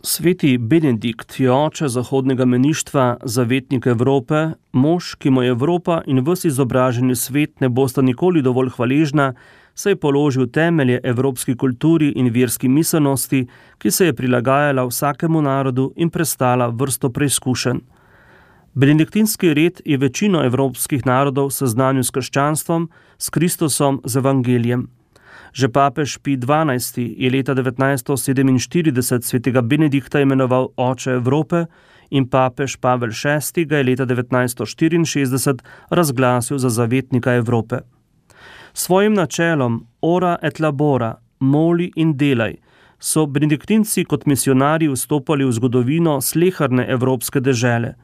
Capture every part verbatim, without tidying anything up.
Sveti Benedikt je oče zahodnega meništva, zavetnik Evrope, mož, ki mu je Evropa in ves izobraženi svet ne bosta nikoli dovolj hvaležna, saj je položil temelje evropski kulturi in verski miselnosti, ki se je prilagajala vsakemu narodu in prestala vrsto preizkušenj. Benediktinski red je večino evropskih narodov seznanil s krščanstvom, s Kristusom, z evangelijem. Že papež Pij dvanajsti je leta devetnajststo sedeminštirideset svetega Benedikta imenoval oče Evrope in papež Pavel šesti ga je leta devetnajststo štiriinšestdeset razglasil za zavetnika Evrope. Svojim načelom ora et labora, moli in delaj, so benediktinci kot misionarji vstopali v zgodovino sleherne evropske dežele.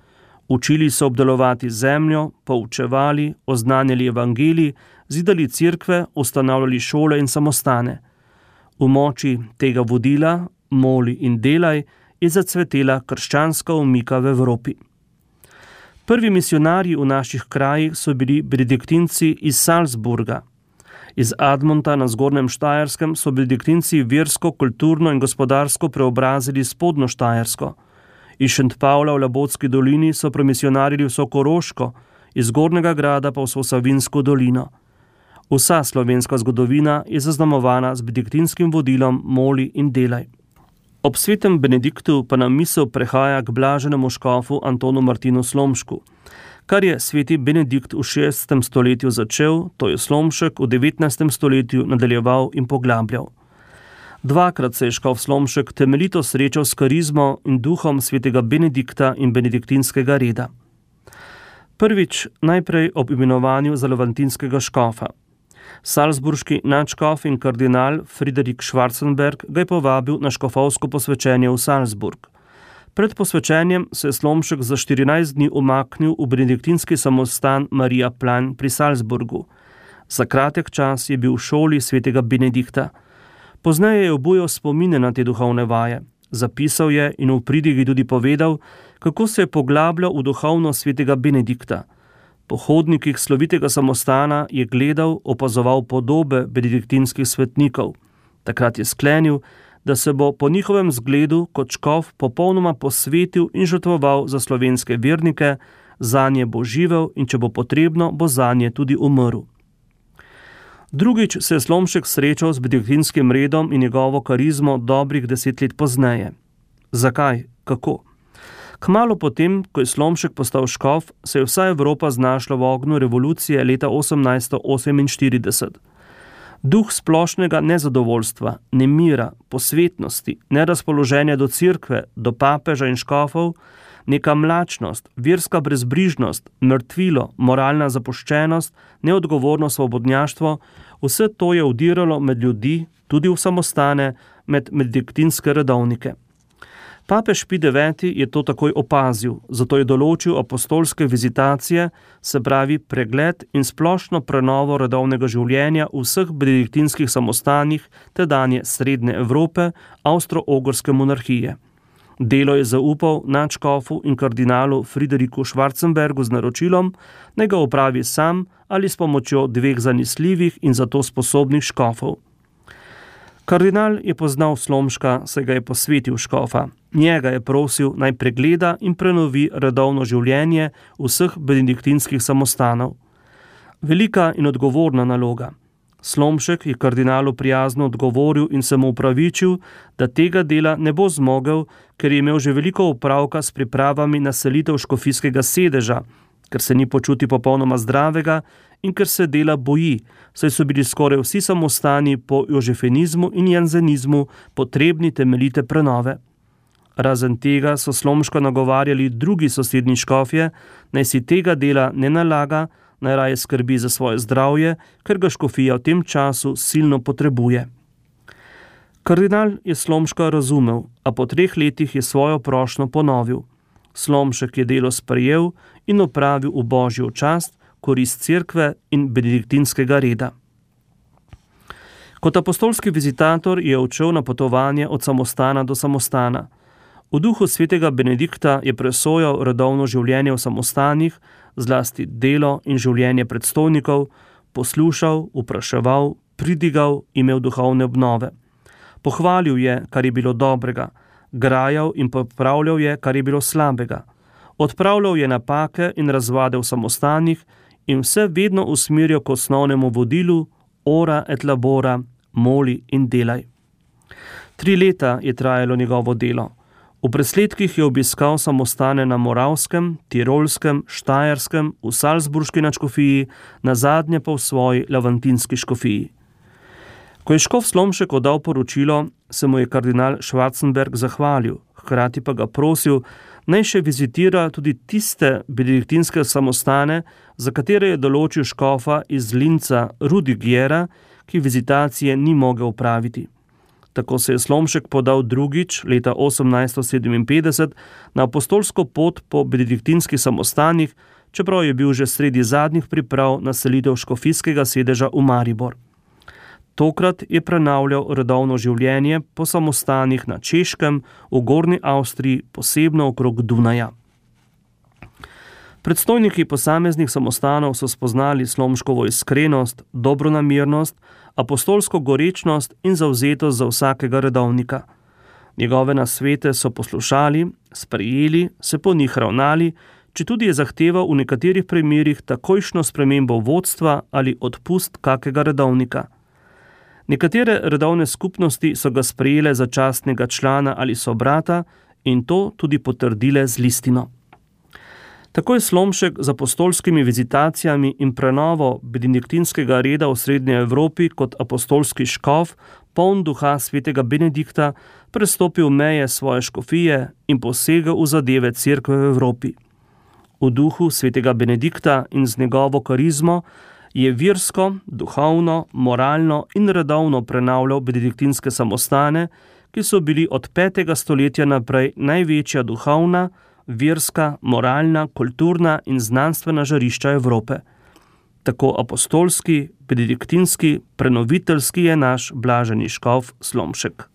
Učili so obdelovati zemljo, poučevali, oznanjali evangelij, zidali cerkve, ustanavljali šole in samostane. V moči tega vodila, moli in delaj, je zacvetela krščanska omika v Evropi. Prvi misionarji v naših krajih so bili benediktinci iz Salzburga. Iz Admonta na Zgornjem Štajerskem so benediktinci versko, kulturno in gospodarsko preobrazili Spodnjo Štajersko. Iz Šentpavla v Labotski dolini so premisionarili vso Koroško, iz Gornjega Grada pa vso Savinjsko dolino. Vsa slovenska zgodovina je zaznamovana z benediktinskim vodilom moli in delaj. Ob svetem Benediktu pa nam misel prehaja k blaženemu škofu Antonu Martinu Slomšku. Kar je sveti Benedikt v šestem stoletju začel, to je Slomšek v devetnajstem stoletju nadaljeval in poglabljal. Dvakrat se je škof Slomšek temeljito srečal s karizmo in duhom svetega Benedikta in benediktinskega reda. Prvič najprej ob imenovanju za levantinskega škofa. Salzburški nadškof in kardinal Friderik Schwarzenberg ga je povabil na škofovsko posvečenje v Salzburg. Pred posvečenjem se je Slomšek za štirinajst dni umaknil v benediktinski samostan Marija Plan pri Salzburgu. Za kratek čas je bil v šoli svetega Benedikta. Pozneje je obujal spomine na te duhovne vaje. Zapisal je in v pridigi tudi povedal, kako se je poglabljal v duhovnost svetega Benedikta. Po hodnikih slovitega samostana je gledal, opazoval podobe benediktinskih svetnikov. Takrat je sklenil, da se bo po njihovem zgledu kot škof popolnoma posvetil in žrtvoval za slovenske vernike, zanje bo živel in če bo potrebno, bo zanje tudi umrl. Drugič se je Slomšek srečal z benediktinskim redom in njegovo karizmo dobrih deset let pozneje. Zakaj? Kako? Kmalu potem, ko je Slomšek postal škof, se je vsa Evropa znašla v ognju revolucije leta osemnajststo oseminštirideset. Duh splošnega nezadovoljstva, nemira, posvetnosti, nerazpoloženja do cerkve, do papeža in škofov, neka mlačnost, verska brezbrižnost, mrtvilo, moralna zapuščenost, neodgovorno svobodnjaštvo, vse to je vdiralo med ljudi, tudi v samostane, med benediktinske redovnike. Papež Pij deveti je to takoj opazil, zato je določil apostolske vizitacije, se pravi pregled in splošno prenovo redovnega življenja v vseh benediktinskih samostanih tedanje Srednje Evrope, Avstro-Ogrske monarhije. Delo je zaupal nadškofu in kardinalu Frideriku Schwarzenbergu z naročilom, naj ga opravi sam ali s pomočjo dveh zanesljivih in zato sposobnih škofov. Kardinal je poznal Slomška, saj ga je posvetil škofa. Njega je prosil, naj pregleda in prenovi redovno življenje vseh benediktinskih samostanov. Velika in odgovorna naloga. Slomšek je kardinalu prijazno odgovoril in se mu upravičil, da tega dela ne bo zmogel, ker je imel že veliko opravka s pripravami na selitev škofijskega sedeža, ker se ni počuti popolnoma zdravega in ker se dela boji, saj so bili skoraj vsi samostani po jožefenizmu in janzenizmu potrebni temeljite prenove. Razen tega so Slomška nagovarjali drugi sosednji škofje, naj si tega dela ne nalaga, naj raje skrbi za svoje zdravje, ker ga škofija v tem času silno potrebuje. Kardinal je Slomška razumel, a po treh letih je svojo prošnjo ponovil. Slomšek je delo sprejel in opravil v božjo čast, korist cerkve in benediktinskega reda. Kot apostolski vizitator je odšel na potovanje od samostana do samostana. V duhu svetega Benedikta je presojal redovno življenje v samostanih, zlasti delo in življenje predstojnikov, poslušal, vpraševal, pridigal, imel duhovne obnove. Pohvalil je, kar je bilo dobrega, grajal in popravljal je, kar je bilo slabega. Odpravljal je napake in razvade v samostanih in vse vedno usmerjal k osnovnemu vodilu ora et labora, moli in delaj. Tri leta je trajalo njegovo delo. V presledkih je obiskal samostane na Moravskem, Tirolskem, Štajerskem, v Salzburški nadškofiji, nazadnje pa v svoji lavantinski škofiji. Ko je škof Slomšek oddal poročilo, se mu je kardinal Schwarzenberg zahvalil, hkrati pa ga prosil, naj še vizitira tudi tiste benediktinske samostane, za katere je določil škofa iz Linca Rudigjera, ki vizitacije ni mogel opraviti. Tako se je Slomšek podal drugič, leta osemnajststo sedeminpetdeset, na apostolsko pot po benediktinskih samostanih, čeprav je bil že sredi zadnjih priprav na selitev škofijskega sedeža v Maribor. Tokrat je prenavljal redovno življenje po samostanih na Češkem, v Gornji Avstriji, posebno okrog Dunaja. Predstojniki posameznih samostanov so spoznali Slomškovo iskrenost, dobronamernost, apostolsko gorečnost in zavzetost za vsakega redovnika. Njegove nasvete so poslušali, sprejeli, se po njih ravnali, četudi je zahteval v nekaterih primerih takojšnjo spremembo vodstva ali odpust kakega redovnika. Nekatere redovne skupnosti so ga sprejele za častnega člana ali sobrata in to tudi potrdile z listino. Tako je Slomšek z apostolskimi vizitacijami in prenovo benediktinskega reda v Srednji Evropi kot apostolski škof, poln duha svetega Benedikta, prestopil meje svoje škofije in posegel v zadeve cerkve v Evropi. V duhu svetega Benedikta in z njegovo karizmo je versko, duhovno, moralno in redovno prenavljal benediktinske samostane, ki so bili od petega stoletja naprej največja duhovna, verska, moralna, kulturna in znanstvena žarišča Evrope. Tako apostolski, benediktinski, prenoviteljski je naš blaženi škof Slomšek.